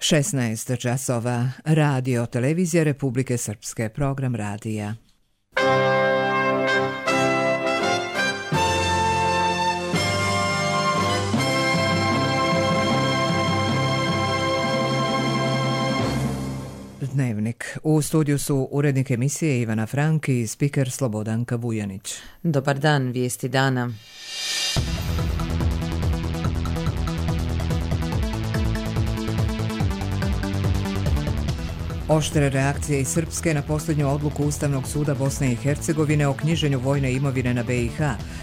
16 časova. Radio Televizija Republike Srpske. Program radija. Dnevnik. U studiju su urednik emisije Ivana Frank i spiker Slobodanka Vujanić. Dobar dan, vijesti dana. Oštre reakcije iz Srpske na posljednju odluku Ustavnog suda Bosne i Hercegovine o knjiženju vojne imovine na BiH.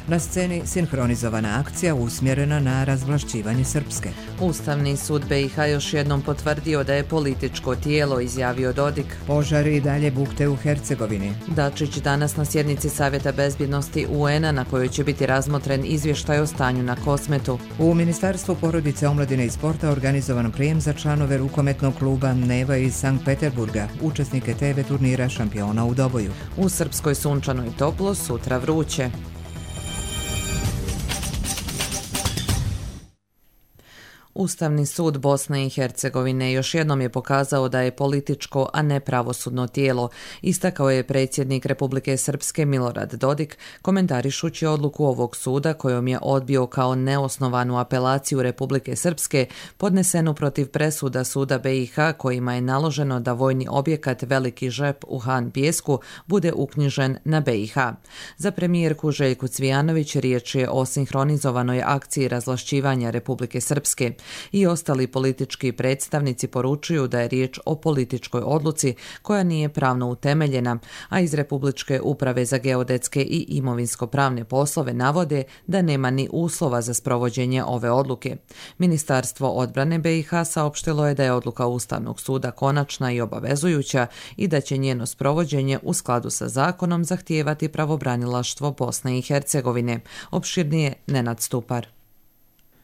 Na sceni sinhronizovana akcija usmjerena na razvlašćivanje Srpske. Ustavni sud BiH još jednom potvrdio da je političko tijelo, izjavio Dodik. Požari i dalje bukte u Hercegovini. Dačić danas na sjednici Savjeta bezbjednosti UN-a na kojoj će biti razmotren izvještaj o stanju na Kosmetu. U Ministarstvu porodice, omladine i sporta organizovan prijem za članove rukometnog kluba Neva iz Sankt Peterburga, učesnike TV turnira šampiona u Doboju. U Srpskoj sunčano i toplo, sutra vruće. Ustavni sud Bosne i Hercegovine još jednom je pokazao da je političko, a ne pravosudno tijelo, istakao je predsjednik Republike Srpske Milorad Dodik, komentarišući odluku ovog suda kojom je odbio kao neosnovanu apelaciju Republike Srpske podnesenu protiv presuda suda BiH kojima je naloženo da vojni objekat Veliki Žep u Han Pijesku bude uknjižen na BiH. Za premijerku Željku Cvijanović riječ je o sinhronizovanoj akciji razvlašćivanja Republike Srpske. I ostali politički predstavnici poručuju da je riječ o političkoj odluci koja nije pravno utemeljena, a iz Republičke uprave za geodetske i imovinsko-pravne poslove navode da nema ni uslova za sprovođenje ove odluke. Ministarstvo odbrane BiH saopštilo je da je odluka Ustavnog suda konačna i obavezujuća i da će njeno sprovođenje u skladu sa zakonom zahtijevati pravobranilaštvo Bosne i Hercegovine. Opširnije Nenad Stupar.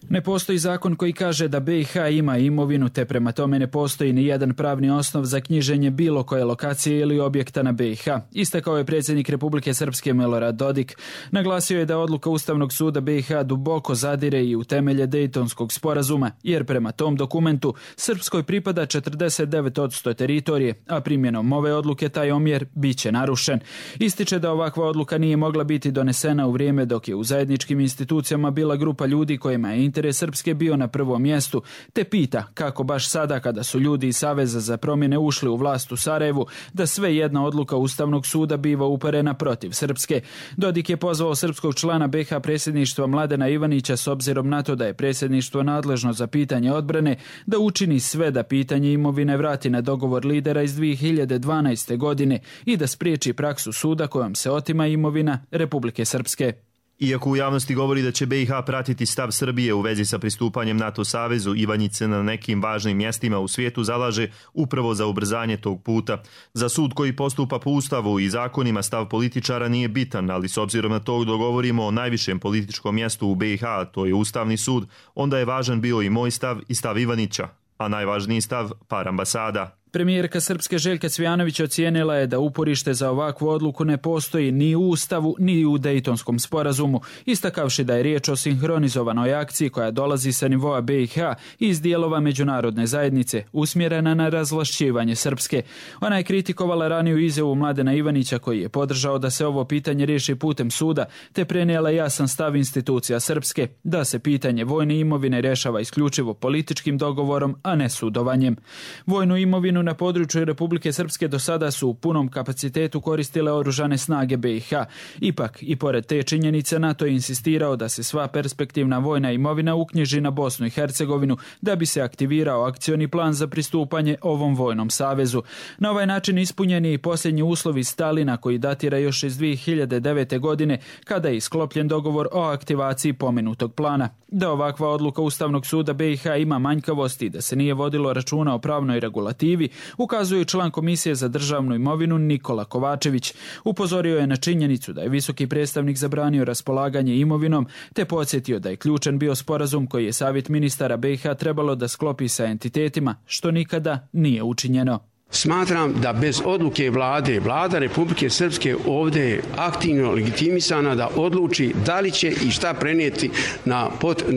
Ne postoji zakon koji kaže da BiH ima imovinu, te prema tome ne postoji ni jedan pravni osnov za knjiženje bilo koje lokacije ili objekta na BiH, istakao je predsjednik Republike Srpske Milorad Dodik. Naglasio je da odluka Ustavnog suda BiH duboko zadire i u temelje Dejtonskog sporazuma, jer prema tom dokumentu Srpskoj pripada 49% teritorije, a primjenom ove odluke taj omjer biće narušen. Ističe da ovakva odluka nije mogla biti donesena u vrijeme dok je u zajedničkim institucijama bila grupa ljudi kojima je interes Srpske bio na prvom mjestu, te pita kako baš sada kada su ljudi iz Saveza za promjene ušli u vlast u Sarajevu, da sve jedna odluka Ustavnog suda biva uperena protiv Srpske. Dodik je pozvao srpskog člana BiH predsjedništva Mladena Ivanića s obzirom na to da je predsjedništvo nadležno za pitanje odbrane da učini sve da pitanje imovine vrati na dogovor lidera iz 2012. godine i da spriječi praksu suda kojom se otima imovina Republike Srpske. Iako u javnosti govori da će BiH pratiti stav Srbije u vezi sa pristupanjem NATO savezu, Ivanjić se na nekim važnim mjestima u svijetu zalaže upravo za ubrzanje tog puta. Za sud koji postupa po Ustavu i zakonima stav političara nije bitan, ali s obzirom na to dogovorimo o najvišem političkom mjestu u BiH, to je Ustavni sud, onda je važan bio i moj stav i stav Ivanića, a najvažniji stav par ambasada. Premijerka Srpske Željka Cvijanović ocijenila je da uporište za ovakvu odluku ne postoji ni u Ustavu ni u Dejtonskom sporazumu, istakavši da je riječ o sinhronizovanoj akciji koja dolazi sa nivoa BiH i iz dijelova međunarodne zajednice, usmjerena na razvlašćivanje Srpske. Ona je kritikovala raniju izjavu Mladena Ivanića koji je podržao da se ovo pitanje riješi putem suda, te prenijela jasan stav institucija Srpske da se pitanje vojne imovine rješava isključivo političkim dogovorom, a ne sudovanjem. Vojnu imovinu na području Republike Srpske do sada su u punom kapacitetu koristile oružane snage BiH. Ipak, i pored te činjenice, NATO je insistirao da se sva perspektivna vojna imovina uknjiži na Bosnu i Hercegovinu da bi se aktivirao akcioni plan za pristupanje ovom vojnom savezu. Na ovaj način ispunjen je i posljednji uslovi Stalina koji datira još iz 2009. godine kada je isklopljen dogovor o aktivaciji pomenutog plana. Da ovakva odluka Ustavnog suda BiH ima manjkavosti i da se nije vodilo računa o pravnoj regulativi, ukazuje član Komisije za državnu imovinu Nikola Kovačević. Upozorio je na činjenicu da je visoki predstavnik zabranio raspolaganje imovinom, te podsjetio da je ključan bio sporazum koji je Savjet ministara BiH trebalo da sklopi sa entitetima, što nikada nije učinjeno. Smatram da bez odluke vlada Republike Srpske ovdje je aktivno legitimisana da odluči da li će i šta prenijeti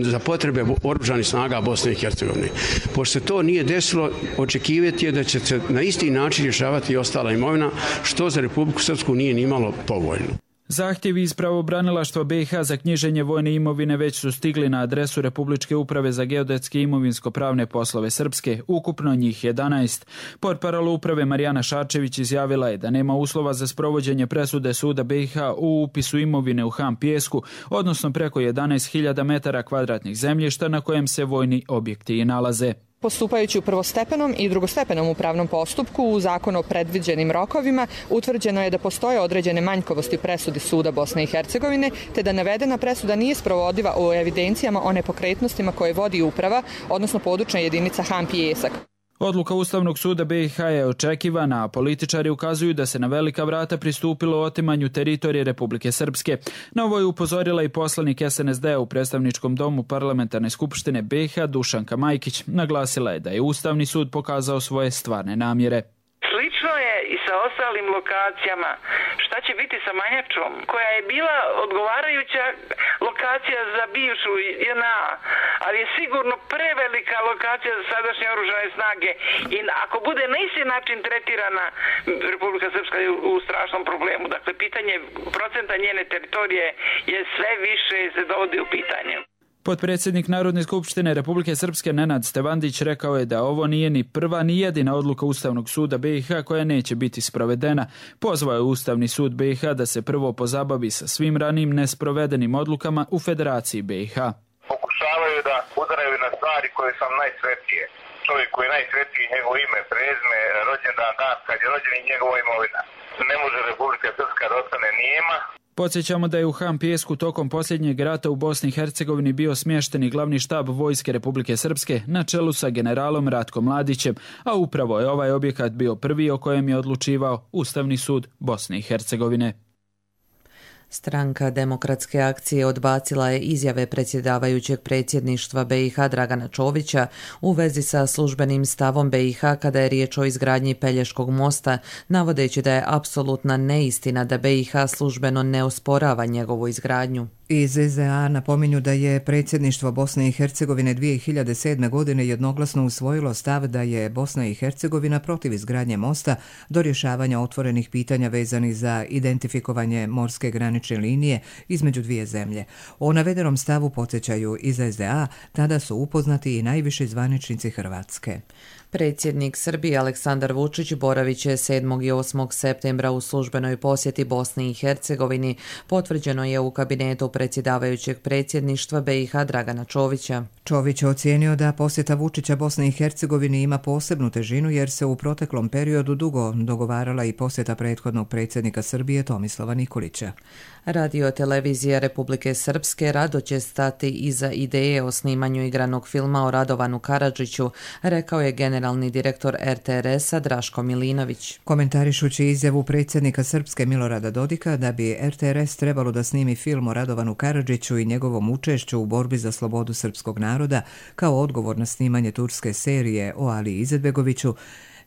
za potrebe oružanih snaga Bosne i Hercegovine. Pošto se to nije desilo, očekivati je da će se na isti način rješavati i ostala imovina, što za Republiku Srpsku nije nimalo povoljno. Zahtjevi iz pravobranilaštva BiH za knjiženje vojne imovine već su stigli na adresu Republičke uprave za geodetske i imovinsko-pravne poslove Srpske, ukupno njih 11. Portparol uprave Marijana Šarčević izjavila je da nema uslova za sprovođenje presude suda BiH u upisu imovine u Han Pijesku, odnosno preko 11.000 metara kvadratnih zemljišta na kojem se vojni objekti i nalaze. Postupajući u prvostepenom i drugostepenom upravnom postupku u zakonu o predviđenim rokovima, utvrđeno je da postoje određene manjkovosti presudi suda Bosne i Hercegovine, te da navedena presuda nije sprovodiva u evidencijama o nepokretnostima koje vodi uprava, odnosno područna jedinica Han Pijesak. Odluka Ustavnog suda BiH je očekivana, a političari ukazuju da se na velika vrata pristupilo otimanju teritorije Republike Srpske. Na ovo je upozorila i poslanik SNSD u predstavničkom domu Parlamentarne skupštine BiH Dušanka Majkić. Naglasila je da je Ustavni sud pokazao svoje stvarne namjere. Slično je i sa ostalim lokacijama. Šta će biti sa Manjačom, koja je bila odgovarajuća lokacija za bivšu JNA, ali je sigurno prevelika lokacija za sadašnje oružane snage i ako bude na isti način tretirana, Republika Srpska je u strašnom problemu. Dakle, pitanje procenta njene teritorije je sve više se dovodi u pitanje. Potpredsjednik Narodne skupštine Republike Srpske Nenad Stevandić rekao je da ovo nije ni prva ni jedina odluka Ustavnog suda BiH koja neće biti sprovedena. Pozvao je Ustavni sud BiH da se prvo pozabavi sa svim ranijim nesprovedenim odlukama u Federaciji BiH. Pokušavaju da udaraju na stvari koje su najsvetije. Čovjek koji je najsvetiji, njegovo ime, prezime, rođendan, dan kad je rođen i njegova imovina. Ne može Republika Srpska da ostane nijema. Podsjećamo da je u Han Pijesku tokom posljednjeg rata u Bosni i Hercegovini bio smješteni glavni štab Vojske Republike Srpske na čelu sa generalom Ratkom Mladićem, a upravo je ovaj objekat bio prvi o kojem je odlučivao Ustavni sud Bosne i Hercegovine. Stranka Demokratske akcije odbacila je izjave predsjedavajućeg predsjedništva BiH Dragana Čovića u vezi sa službenim stavom BiH kada je riječ o izgradnji Pelješkog mosta, navodeći da je apsolutna neistina da BiH službeno ne osporava njegovu izgradnju. Iz SDA napominju da je predsjedništvo Bosne i Hercegovine 2007. godine jednoglasno usvojilo stav da je Bosna i Hercegovina protiv izgradnje mosta do rješavanja otvorenih pitanja vezanih za identifikovanje morske granične linije između dvije zemlje. O navedenom stavu podsjećaju iz SDA, tada su upoznati i najviši zvaničnici Hrvatske. Predsjednik Srbije Aleksandar Vučić boravit će 7. i 8. septembra u službenoj posjeti Bosni i Hercegovini, potvrđeno je u kabinetu predsjedavajućeg predsjedništva BiH Dragana Čovića. Čović je ocijenio da posjeta Vučića Bosni i Hercegovini ima posebnu težinu jer se u proteklom periodu dugo dogovarala i posjeta prethodnog predsjednika Srbije Tomislava Nikolića. Radio televizija Republike Srpske rado će stati iza ideje o snimanju igranog filma o Radovanu Karadžiću, rekao je generalni direktor RTRS-a Draško Milinović. Komentarišući izjavu predsjednika Srpske Milorada Dodika da bi RTRS trebalo da snimi film o Radovanu Karadžiću i njegovom učešću u borbi za slobodu srpskog naroda kao odgovor na snimanje turske serije o Ali Izetbegoviću,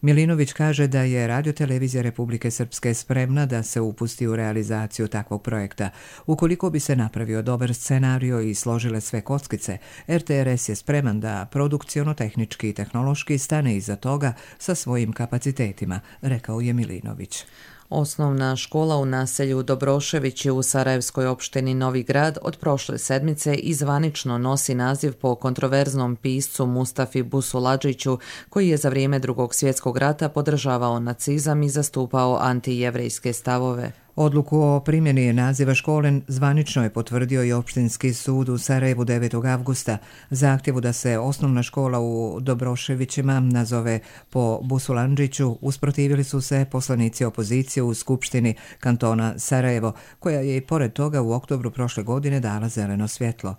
Milinović kaže da je radiotelevizija Republike Srpske spremna da se upusti u realizaciju takvog projekta. Ukoliko bi se napravio dobar scenario i složile sve kockice, RTRS je spreman da produkciono-tehnički i tehnološki stane iza toga sa svojim kapacitetima, rekao je Milinović. Osnovna škola u naselju Dobroševići u Sarajevskoj opštini Novi Grad od prošle sedmice i zvanično nosi naziv po kontroverznom piscu Mustafi Busuladžiću, koji je za vrijeme Drugog svjetskog rata podržavao nacizam i zastupao antijevrejske stavove. Odluku o primjeni naziva škole zvanično je potvrdio i Opštinski sud u Sarajevu 9. avgusta. Zahtjevu da se osnovna škola u Dobroševićima nazove po Busulandžiću usprotivili su se poslanici opozicije u Skupštini kantona Sarajevo, koja je i pored toga u oktobru prošle godine dala zeleno svjetlo.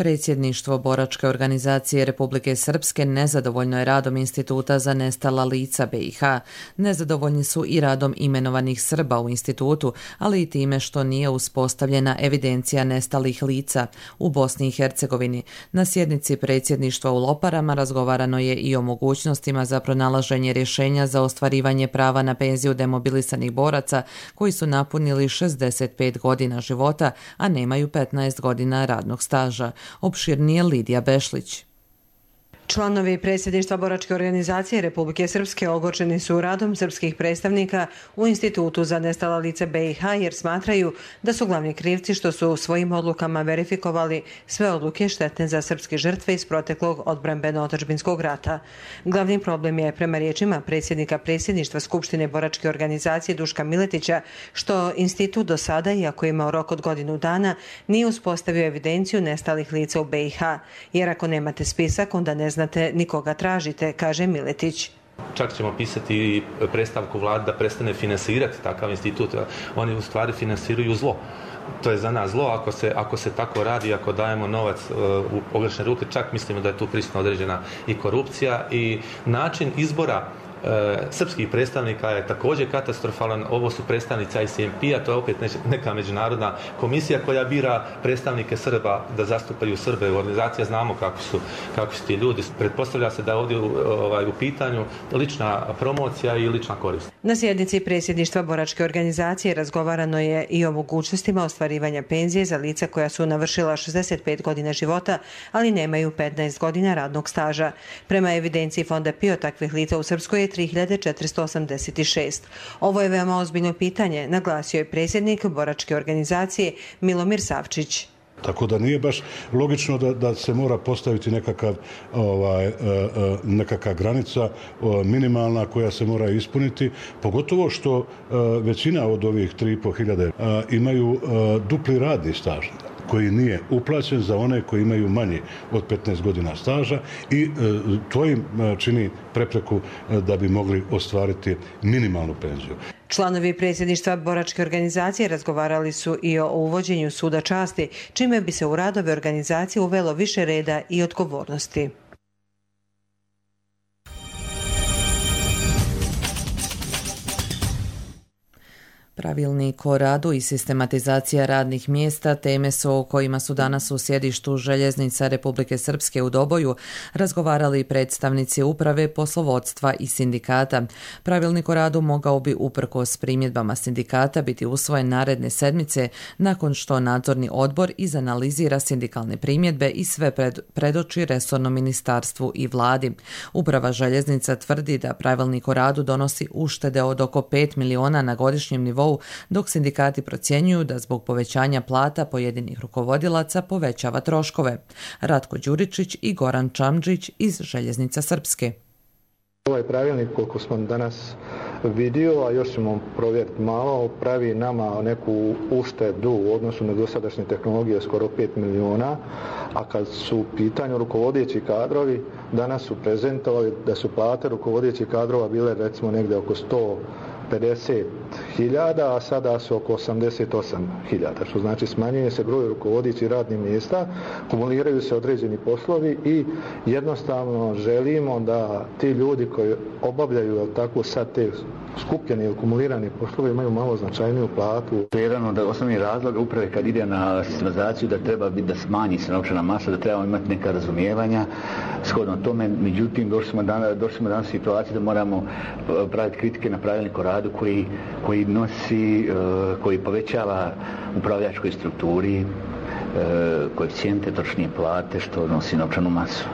Predsjedništvo boračke organizacije Republike Srpske nezadovoljno je radom Instituta za nestala lica BiH. Nezadovoljni su i radom imenovanih Srba u institutu, ali i time što nije uspostavljena evidencija nestalih lica u Bosni i Hercegovini. Na sjednici predsjedništva u Loparama razgovarano je i o mogućnostima za pronalaženje rješenja za ostvarivanje prava na penziju demobilisanih boraca koji su napunili 65 godina života, a nemaju 15 godina radnog staža. Opširnije Lidija Bešlić. Članovi predsjedništva boračke organizacije Republike Srpske ogorčeni su radom srpskih predstavnika u Institutu za nestala lica BiH jer smatraju da su glavni krivci što su svojim odlukama verifikovali sve odluke štetne za srpske žrtve iz proteklog odbrambeno-otadžbinskog rata. Glavni problem je, prema riječima predsjednika predsjedništva Skupštine boračke organizacije Duška Miletića, što institut do sada, iako je imao rok od godinu dana, nije uspostavio evidenciju nestalih lica u BiH, jer ako nemate spisak, onda ne znate nikoga tražite, kaže Miletić. Čak ćemo pisati predstavku vlade da prestane finansirati takav institut. Oni u stvari finansiraju zlo. To je za nas zlo ako se tako radi, ako dajemo novac u pogrešne ruke, čak mislimo da je tu prisutna određena i korupcija i način izbora srpskih predstavnika je također katastrofalan. Ovo su predstavnici ICMP-a, to je opet neka međunarodna komisija koja bira predstavnike Srba da zastupaju Srbe u organizaciji. Znamo kako su ti ljudi. Pretpostavlja se da je ovdje u pitanju lična promocija i lična korist. Na sjednici predsjedništva boračke organizacije razgovarano je i o mogućnostima ostvarivanja penzije za lica koja su navršila 65 godina života, ali nemaju 15 godina radnog staža. Prema evidenciji Fonda PIO takvih lica u Srpskoj je 3486. Ovo je veoma ozbiljno pitanje, naglasio je predsjednik boračke organizacije Milomir Savčić. Tako da nije baš logično da se mora postaviti nekakva granica minimalna koja se mora ispuniti, pogotovo što većina od ovih 3500 imaju dupli radni staž koji nije uplaćen za one koji imaju manje od 15 godina staža i to im čini prepreku da bi mogli ostvariti minimalnu penziju. Članovi predsjedništva boračke organizacije razgovarali su i o uvođenju suda časti, čime bi se u radove organizacije uvelo više reda i odgovornosti. Pravilnik o radu i sistematizacija radnih mjesta teme su o kojima su danas u sjedištu Željeznica Republike Srpske u Doboju razgovarali predstavnici uprave, poslovodstva i sindikata. Pravilnik o radu mogao bi uprkos primjedbama sindikata biti usvojen naredne sedmice nakon što nadzorni odbor izanalizira sindikalne primjedbe i sve predoči resornom ministarstvu i vladi. Uprava Željeznica tvrdi da pravilnik o radu donosi uštede od oko 5 miliona na godišnjem nivou, dok sindikati procjenjuju da zbog povećanja plata pojedinih rukovodilaca povećava troškove. Ratko Đuričić i Goran Čamđić iz Željeznica Srpske. Ovaj pravilnik, koliko smo danas vidio, a još ćemo provjeriti malo, pravi nama neku uštedu u odnosu na dosadašnje tehnologije skoro 5 miliona, a kad su u pitanju rukovodeći kadrovi, danas su prezentovali da su plate rukovodećih kadrova bile recimo negdje oko 150.000, a sada su oko 88.000, što znači smanjuje se broj rukovodećih radnih mjesta, kumuliraju se određeni poslovi i jednostavno želimo da ti ljudi koji obavljaju tako sad te skupljene ili kumulirane poslove imaju malo značajniju platu. Jedan od osnovnih razloga uprave kad ide na sistematizaciju da treba biti da smanji se novčana masa, da trebamo imati neka razumijevanja shodno tome, međutim došli smo danas u situaciju da moramo praviti kritike na pravilnik o radu koji povećava upravljačkoj strukturi koeficijente, točnije plate, što nosi novčanu masu.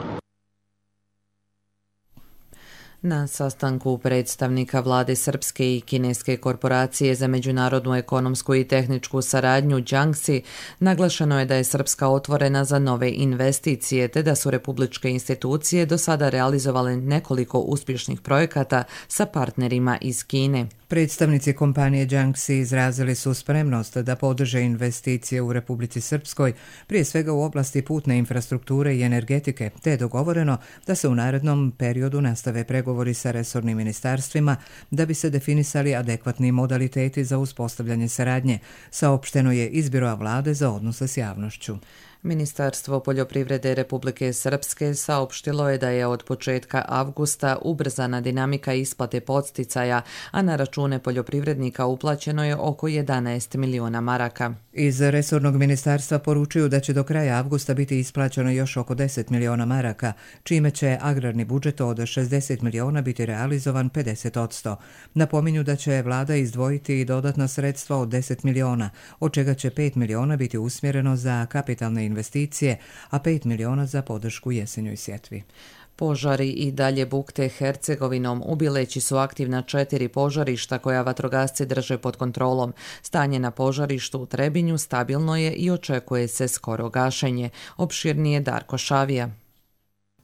Na sastanku predstavnika vlade Srpske i kineske korporacije za međunarodnu ekonomsku i tehničku saradnju Jiangxi naglašeno je da je Srpska otvorena za nove investicije te da su republičke institucije do sada realizovale nekoliko uspješnih projekata sa partnerima iz Kine. Predstavnici kompanije Jiangxi izrazili su spremnost da podrže investicije u Republici Srpskoj, prije svega u oblasti putne infrastrukture i energetike, te je dogovoreno da se u narednom periodu nastave pregovori sa resornim ministarstvima da bi se definisali adekvatni modaliteti za uspostavljanje saradnje, saopšteno je iz Biroa vlade za odnose s javnošću. Ministarstvo poljoprivrede Republike Srpske saopštilo je da je od početka avgusta ubrzana dinamika isplate podsticaja, a na račune poljoprivrednika uplaćeno je oko 11 miliona maraka. Iz resornog ministarstva poručuju da će do kraja avgusta biti isplaćeno još oko 10 miliona maraka, čime će agrarni budžet od 60 miliona biti realizovan 50%. Napominju da će vlada izdvojiti i dodatna sredstva od 10 miliona, od čega će 5 miliona biti usmjereno za kapitalne investicije, a 5 miliona za podršku jesenjoj sjetvi. Požari i dalje bukte Hercegovinom. U Bileći su aktivna 4 požarišta koja vatrogasci drže pod kontrolom. Stanje na požarištu u Trebinju stabilno je i očekuje se skoro gašenje. Opširnije Darko Šavija.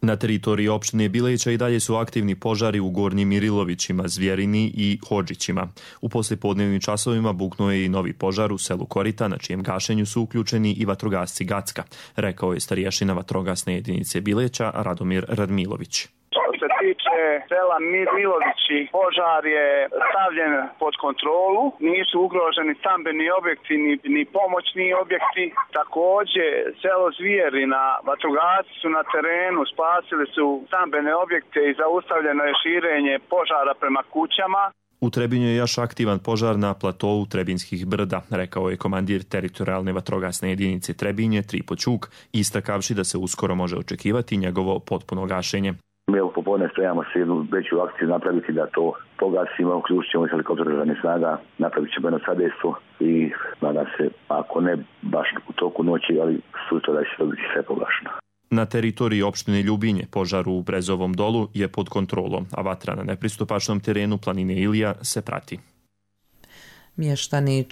Na teritoriji opštine Bileća i dalje su aktivni požari u Gornjim Irilovićima, Zvjerini i Hodžićima. U poslijepodnevnim časovima buknuo je i novi požar u selu Korita, na čijem gašenju su uključeni i vatrogasci Gacka, rekao je starješina vatrogasne jedinice Bileća Radomir Radmilović. Što se tiče sela Mirilovići, požar je stavljen pod kontrolu, nisu ugroženi stambeni objekti ni pomoćni objekti. Također, selo Zvjerina, vatrogasci su na terenu, spasili su stambene objekte i zaustavljeno je širenje požara prema kućama. U Trebinju je još aktivan požar na platovu Trebinskih brda, rekao je komandir teritorijalne vatrogasne jedinice Trebinje Tripo Ćuk, istakavši da se uskoro može očekivati njegovo potpuno gašenje. Mi popodne spremamo se jednu veću akciju napraviti da to pogasimo, uključit ćemo helikopter oružanih snaga, napravit ćemo jedno sadejstvo i nadam se, ako ne baš u toku noći, ali sutra da će to biti sve pogašeno. Na teritoriji opštine Ljubinje požar u Brezovom dolu je pod kontrolom, a vatra na nepristupačnom terenu planine Ilija se prati. Mještani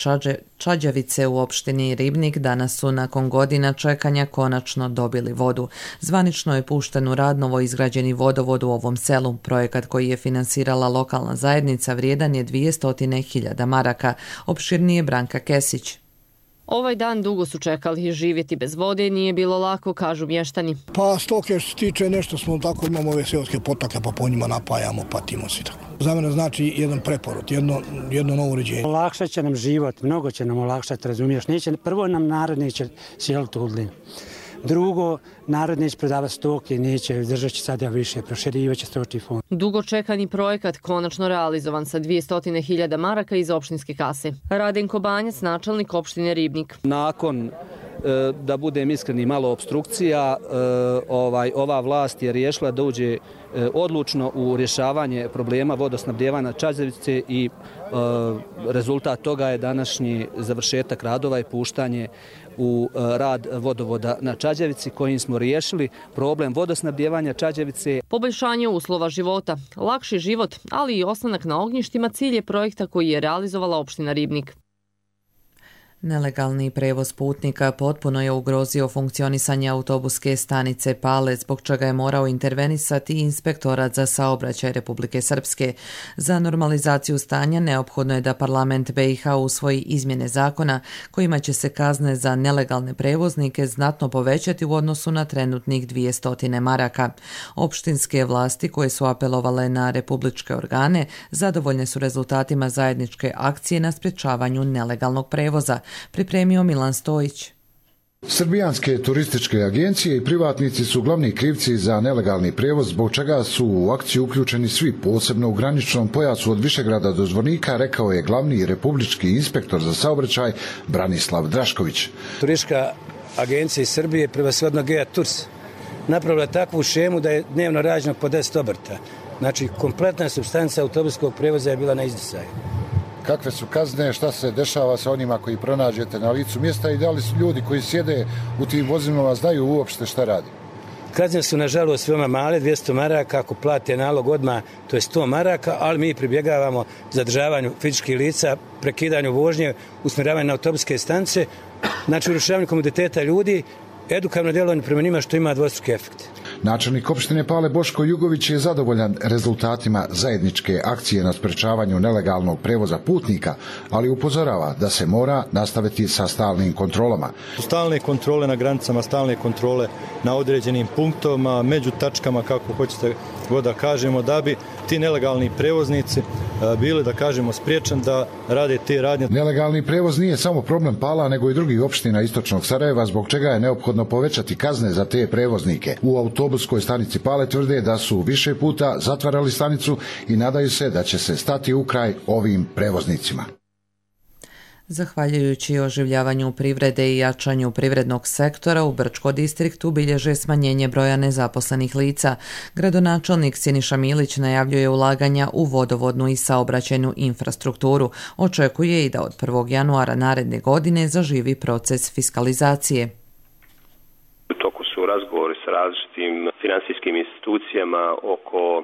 Čađavice u opštini Ribnik danas su nakon godina čekanja konačno dobili vodu. Zvanično je pušten u rad novo izgrađeni vodovod u ovom selu. Projekat koji je finansirala lokalna zajednica vrijedan je 200.000 maraka. Opširnije Branka Kesić. Ovaj dan dugo su čekali, živjeti bez vode nije bilo lako, kažu mještani. Pa stoke što se tiče nešto smo tako, imamo ove seoske potoke pa po njima napajamo, patimo se tako. Za mene znači jedan preporod, jedno novo uređenje. Olakšat će nam život, mnogo će nam olakšati, razumiješ. Prvo nam narod neće sjeliti u udlin. Drugo, narod neće predavati stoke, neće, držat će sada više, proširivat će stočni fond. Dugo čekani projekat konačno realizovan sa 200.000 maraka iz opštinske kase. Radenko Banjac, načelnik opštine Ribnik. Nakon, da budem iskreni, malo obstrukcija, ova vlast je riješila da uđe odlučno u rješavanje problema vodosnabdjevanja Čađavice i rezultat toga je današnji završetak radova i puštanje u rad vodovoda na Čađavici kojim smo riješili problem vodosnabdjevanja Čađavice. Poboljšanje uslova života, lakši život, ali i ostanak na ognjištima cilj je projekta koji je realizovala opština Ribnik. Nelegalni prevoz putnika potpuno je ugrozio funkcionisanje autobuske stanice Pale, zbog čega je morao intervenisati Inspektorat za saobraćaj Republike Srpske. Za normalizaciju stanja neophodno je da parlament BiH usvoji izmjene zakona kojima će se kazne za nelegalne prevoznike znatno povećati u odnosu na trenutnih 200 maraka. Opštinske vlasti koje su apelovale na republičke organe zadovoljne su rezultatima zajedničke akcije na sprječavanju nelegalnog prevoza, pripremio Milan Stojić. Srbijanske turističke agencije i privatnici su glavni krivci za nelegalni prevoz, zbog čega su u akciju uključeni svi, posebno u graničnom pojasu od Višegrada do Zvornika, rekao je glavni republički inspektor za saobraćaj Branislav Drašković. Turistička agencija iz Srbije, prevashodno Gea Tours, napravila takvu šemu da je dnevno rađeno po 10 obrta. Znači, kompletna supstanca autobuskog prevoza je bila na izdisaju. Kakve su kazne, šta se dešava sa onima koji pronađete na licu mjesta i da li su ljudi koji sjede u tim vozilima znaju uopšte šta radi? Kazne su nažalost veoma male, 200 maraka, ako plate nalog odmah, to je 100 maraka, ali mi pribjegavamo zadržavanju fizičkih lica, prekidanju vožnje, usmjeravanju na autobuske stanice, znači urušavanju komoditeta ljudi, edukativno djelovanje prema njima što ima dvostruki efekt. Načelnik opštine Pale Boško Jugović je zadovoljan rezultatima zajedničke akcije na sprečavanju nelegalnog prevoza putnika, ali upozorava da se mora nastaviti sa stalnim kontrolama. Stalne kontrole na granicama, stalne kontrole na određenim punktovima, među tačkama, kako hoćete god da kažemo, da bi ti nelegalni prevoznici bili, da kažemo, spriječeni da rade te radnje. Nelegalni prevoz nije samo problem Pala, nego i drugih opština istočnog Sarajeva, zbog čega je neophodno povećati kazne za te prevoznike. U autobuskoj stanici Pale tvrde da su više puta zatvarali stanicu i nadaju se da će se stati u kraj ovim prevoznicima. Zahvaljujući oživljavanju privrede i jačanju privrednog sektora, u Brčko distriktu bilježe smanjenje broja nezaposlenih lica. Gradonačelnik Siniša Milić najavljuje ulaganja u vodovodnu i saobraćajnu infrastrukturu. Očekuje i da od 1. januara naredne godine zaživi proces fiskalizacije. U toku su razgovori sa različitim finansijskim institucijama oko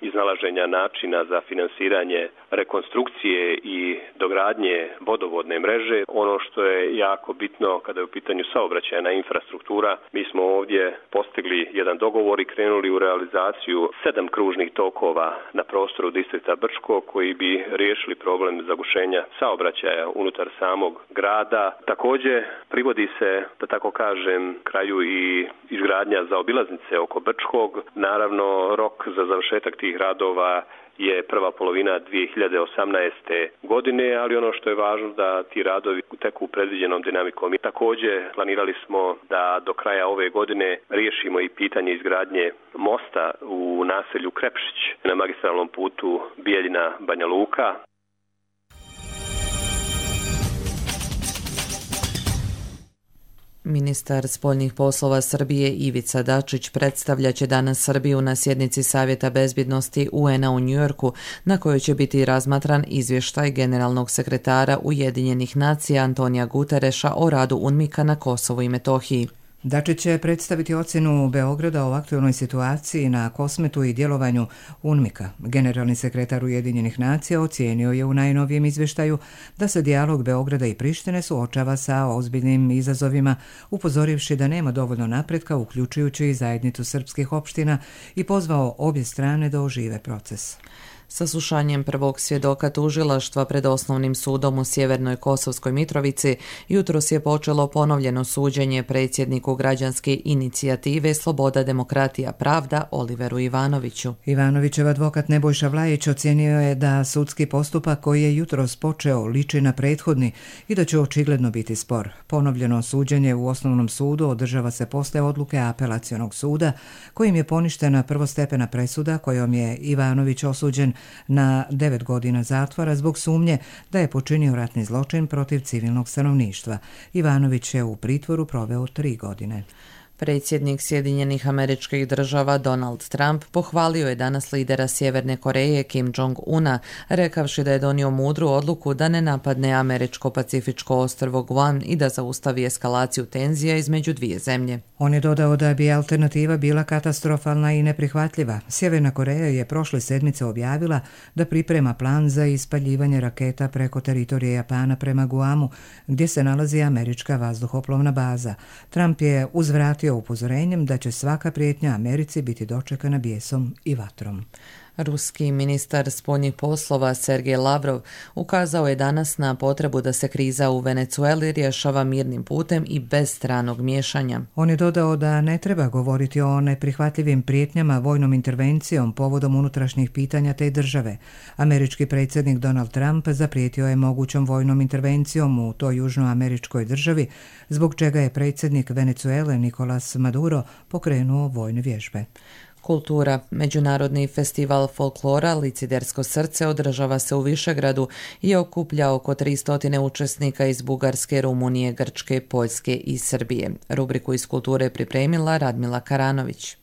iznalaženja načina za finansiranje rekonstrukcije i dogradnje vodovodne mreže. Ono što je jako bitno kada je u pitanju saobraćajna infrastruktura, mi smo ovdje postigli jedan dogovor i krenuli u realizaciju 7 kružnih tokova na prostoru distrikta Brčko koji bi riješili problem zagušenja saobraćaja unutar samog grada. Također privodi se, da tako kažem, kraju i izgradnja zaobilaznice oko Brčkog. Naravno, rok za završetak tih radova je prva polovina 2018. godine, ali ono što je važno da ti radovi teku predviđenom dinamikom. I također planirali smo da do kraja ove godine riješimo i pitanje izgradnje mosta u naselju Krepšić na magistralnom putu Bijeljina-Banja Luka. Ministar spoljnih poslova Srbije Ivica Dačić predstavljat će danas Srbiju na sjednici Savjeta bezbjednosti UN-a u Njujorku, na kojoj će biti razmatran izvještaj generalnog sekretara Ujedinjenih nacija Antonija Gutereša o radu UNMIK-a na Kosovu i Metohiji. Dačić će predstaviti ocjenu Beograda o aktualnoj situaciji na Kosmetu i djelovanju UNMIK-a. Generalni sekretar Ujedinjenih nacija ocijenio je u najnovijem izvještaju da se dijalog Beograda i Prištine suočava sa ozbiljnim izazovima, upozorivši da nema dovoljno napretka, uključujući i zajednicu srpskih opština, i pozvao obje strane da ožive proces. Saslušanjem prvog svjedoka tužilaštva pred Osnovnim sudom u Sjevernoj Kosovskoj Mitrovici jutros je počelo ponovljeno suđenje predsjedniku građanske inicijative Sloboda, demokratija, pravda Oliveru Ivanoviću. Ivanovićev advokat Nebojša Vlajić ocijenio je da sudski postupak koji je jutros počeo liči na prethodni i da će očigledno biti spor. Ponovljeno suđenje u Osnovnom sudu održava se posle odluke Apelacionog suda, kojim je poništena prvostepena presuda kojom je Ivanović osuđen na 9 godina zatvora zbog sumnje da je počinio ratni zločin protiv civilnog stanovništva. Ivanović je u pritvoru proveo 3 godine. Predsjednik Sjedinjenih Američkih Država Donald Trump pohvalio je danas lidera Sjeverne Koreje Kim Jong-una, rekavši da je donio mudru odluku da ne napadne američko-pacifičko ostrvo Guam i da zaustavi eskalaciju tenzija između dvije zemlje. On je dodao da bi alternativa bila katastrofalna i neprihvatljiva. Sjeverna Koreja je prošle sedmice objavila da priprema plan za ispaljivanje raketa preko teritorije Japana prema Guamu, gdje se nalazi američka vazduhoplovna baza. Trump je uzvratio upozorenjem da će svaka prijetnja Americi biti dočekana bijesom i vatrom. Ruski ministar spoljnih poslova Sergej Lavrov ukazao je danas na potrebu da se kriza u Venezueli rješava mirnim putem i bez stranog miješanja. On je dodao da ne treba govoriti o neprihvatljivim prijetnjama vojnom intervencijom povodom unutrašnjih pitanja te države. Američki predsjednik Donald Trump zaprijetio je mogućom vojnom intervencijom u toj južnoameričkoj državi, zbog čega je predsjednik Venezuele Nicolas Maduro pokrenuo vojne vježbe. Kultura. Međunarodni festival folklora Licidersko srce održava se u Višegradu i okuplja oko 300 učesnika iz Bugarske, Rumunije, Grčke, Poljske i Srbije. Rubriku iz kulture pripremila Radmila Karanović.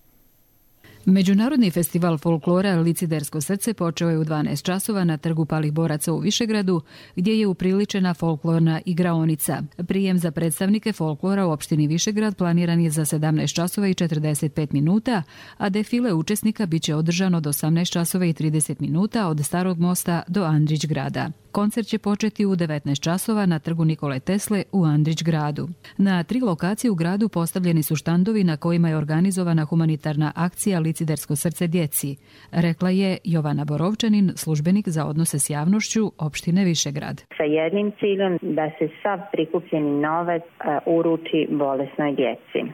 Međunarodni festival folklora Licidersko srce počeo je u 12 časova na Trgu palih boraca u Višegradu, gdje je upriličena folklorna igraonica. Prijem za predstavnike folklora u opštini Višegrad planiran je za 17 časova i 45 minuta, a defile učesnika biće održano od 18 časova i 30 minuta od Starog mosta do Andrić grada. Koncert će početi u 19 časova na Trgu Nikole Tesle u Andrić gradu. Na 3 lokacije u gradu postavljeni su štandovi na kojima je organizovana humanitarna akcija Licidersko srce djeci, rekla je Jovana Borovčanin, službenik za odnose s javnošću opštine Višegrad. Sa jednim ciljem da se sav prikupljeni novac uruči bolesnoj djeci.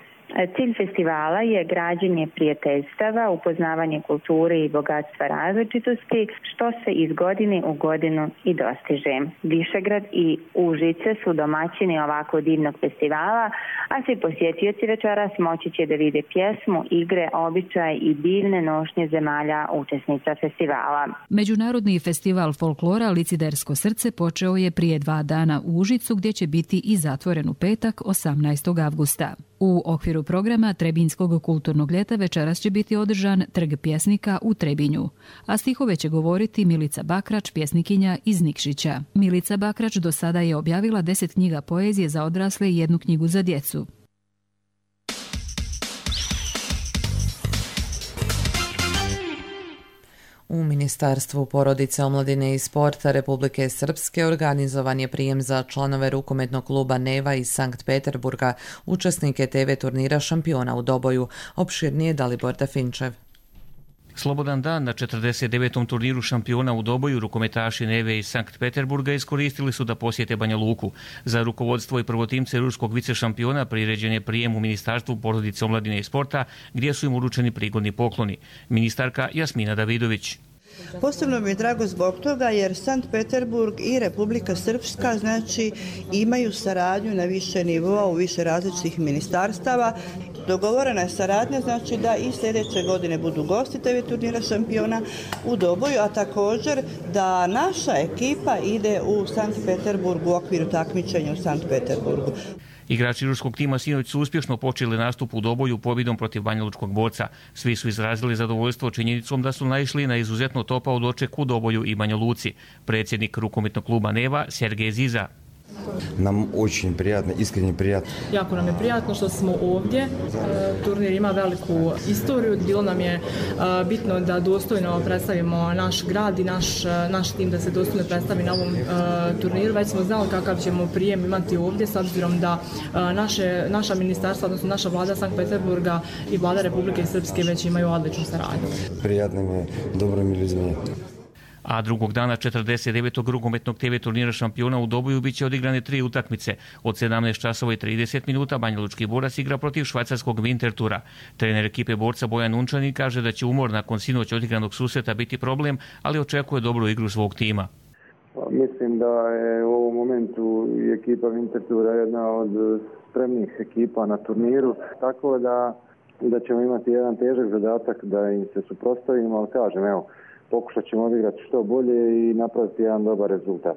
Cilj festivala je građenje prijateljstava, upoznavanje kulture i bogatstva različitosti, što se iz godine u godinu i dostiže. Višegrad i Užice su domaćini ovako divnog festivala, a svi posjetioci večeras moći će da vide pjesmu, igre, običaje i divne nošnje zemalja učesnica festivala. Međunarodni festival folklora Licidersko srce počeo je prije 2 dana u Užicu, gdje će biti i zatvoren u petak 18. avgusta. U okviru programa Trebinjskog kulturnog ljeta večeras će biti održan Trg pjesnika u Trebinju, a stihove će govoriti Milica Bakrač, pjesnikinja iz Nikšića. Milica Bakrač do sada je objavila 10 knjiga poezije za odrasle i 1 knjigu za djecu. U Ministarstvu porodice, omladine i sporta Republike Srpske organizovan je prijem za članove rukometnog kluba Neva iz Sankt Peterburga, učesnike TV turnira šampiona u Doboju. Opširnije Dalibor Dafinčev. Slobodan dan na 49. turniru šampiona u Doboju rukometaši Neve iz Sankt Peterburga iskoristili su da posjete Banja Luku. Za rukovodstvo i prvotimce ruskog vicešampiona priređen je prijem u Ministarstvu porodice, omladine i sporta, gdje su im uručeni prigodni pokloni. Ministarka Jasmina Davidović. Posebno mi je drago zbog toga jer Sankt Peterburg i Republika Srpska imaju saradnju na više nivoa u više različitih ministarstava. Dogovorena je saradnja da i sljedeće godine budu gosti TV turnira šampiona u Doboju, a također da naša ekipa ide u Sankt Peterburg u okviru takmičenja u Sankt Peterburgu. Igrači ruskog tima sinoć su uspješno počeli nastup u Doboju pobjedom protiv banjalučkog borca. Svi su izrazili zadovoljstvo činjenicom da su naišli na izuzetno topao doček u Doboju i Banja Luci. Predsjednik rukometnog kluba Neva Sergej Ziza. Nam очень приятно, искренне приятно. Jako nam je prijatno što smo ovdje. Turnir ima veliku istoriju. Bilo nam je bitno da dostojno predstavimo naš grad i naš tim da se dostojno predstavi na ovom turniru. Već smo znali kakav ćemo prijem imati ovdje s obzirom da naša ministarstva, odnosno naša vlada Sankt Peterburga i vlada Republike Srpske već imaju odličnu saradnju. Prijatno mi je, dobro mi ljudima. A drugog dana 49. rukometnog TV turnira šampiona u Doboju biće odigrane 3 utakmice. Od 17 časova i 30 minuta banjalučki borac igra protiv švajcarskog Winterthura. Trener ekipe borca Bojan Unčanin kaže da će umor nakon sinoć odigranog susreta biti problem, ali očekuje dobru igru svog tima. Mislim da je u ovom momentu i ekipa Winterthura jedna od spremnih ekipa na turniru, tako da ćemo imati jedan težak zadatak da im se suprotstavimo, ali kažem, pokušat ćemo odigrati što bolje i napraviti jedan dobar rezultat.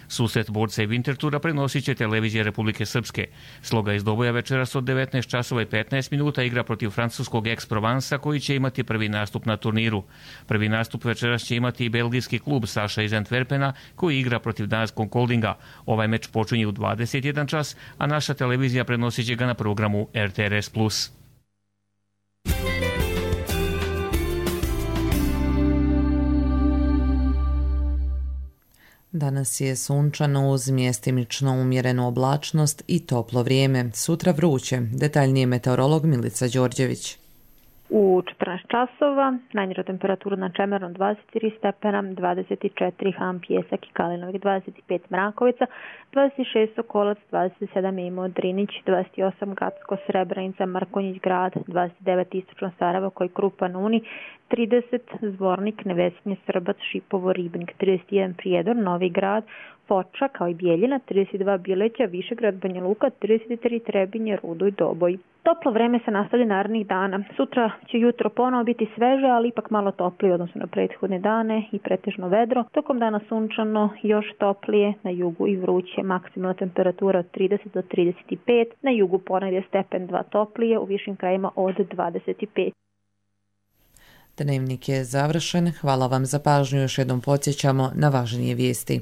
Susret borca i Winterthura prenosit će televizija Republike Srpske. Sloga iz Doboja večeras od 19 časova i 15 minuta igra protiv francuskog Aix-Provence koji će imati prvi nastup na turniru. Prvi nastup večeras će imati i belgijski klub Saša iz Antwerpena koji igra protiv danskog Koldinga. Ovaj meč počinje u 21 čas, a naša televizija prenosit će ga na programu RTRS+. Danas je sunčano uz mjestimično umjerenu oblačnost i toplo vrijeme. Sutra vruće. Detaljnije meteorolog Milica Đorđević. U 14 časova najniža temperatura na Čemernom 23 stepena, 24 Han, Pjesak i Kalinovik, 25 Mrakovica, 26 Sokolac, 27 Imo, Drinić, 28 Gacko, Srebrenica, Markonjić grad, 29 Istočno Sarajevo, koji Krupan Uni, 30 Zvornik, Nevesinje, Srbac, Šipovo, Ribnik, 31 Prijedor, Novi grad, Foča kao i Bijeljina, 32 Bileća, Višegrad, Banja Luka, 33 Trebinje, Rudo i Doboj. Toplo vreme se nastavlja narednih dana. Sutra će jutro ponovo biti sveže, ali ipak malo toplije odnosno na prethodne dane i pretežno vedro. Tokom dana sunčano, još toplije, na jugu i vruće, maksimalna temperatura od 30 do 35, na jugu ponegdje stepen 2 toplije, u višim krajima od 25. Dnevnik je završen. Hvala vam za pažnju. Još jednom podsjećamo na važnije vijesti.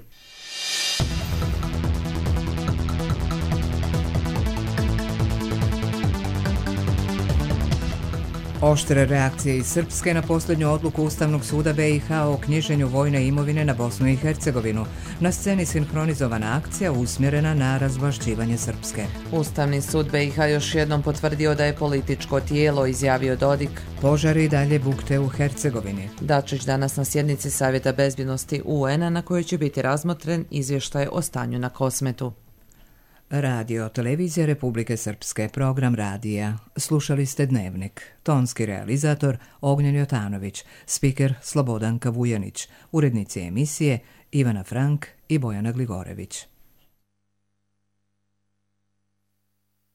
Oštre reakcije iz Srpske na posljednju odluku Ustavnog suda BiH o knjiženju vojne imovine na Bosnu i Hercegovinu. Na sceni sinhronizovana akcija usmjerena na razvlašćivanje Srpske. Ustavni sud BiH još jednom potvrdio da je političko tijelo, izjavio Dodik. Požari i dalje bukte u Hercegovini. Dačić danas na sjednici Savjeta bezbjednosti UN-a na kojoj će biti razmotren izvještaj o stanju na Kosmetu. Radio Televizija Republike Srpske, program radija. Slušali ste Dnevnik. Tonski realizator Ognjen Jotanović, spiker Slobodanka Vujanić, urednici emisije Ivana Frank i Bojana Gligorević.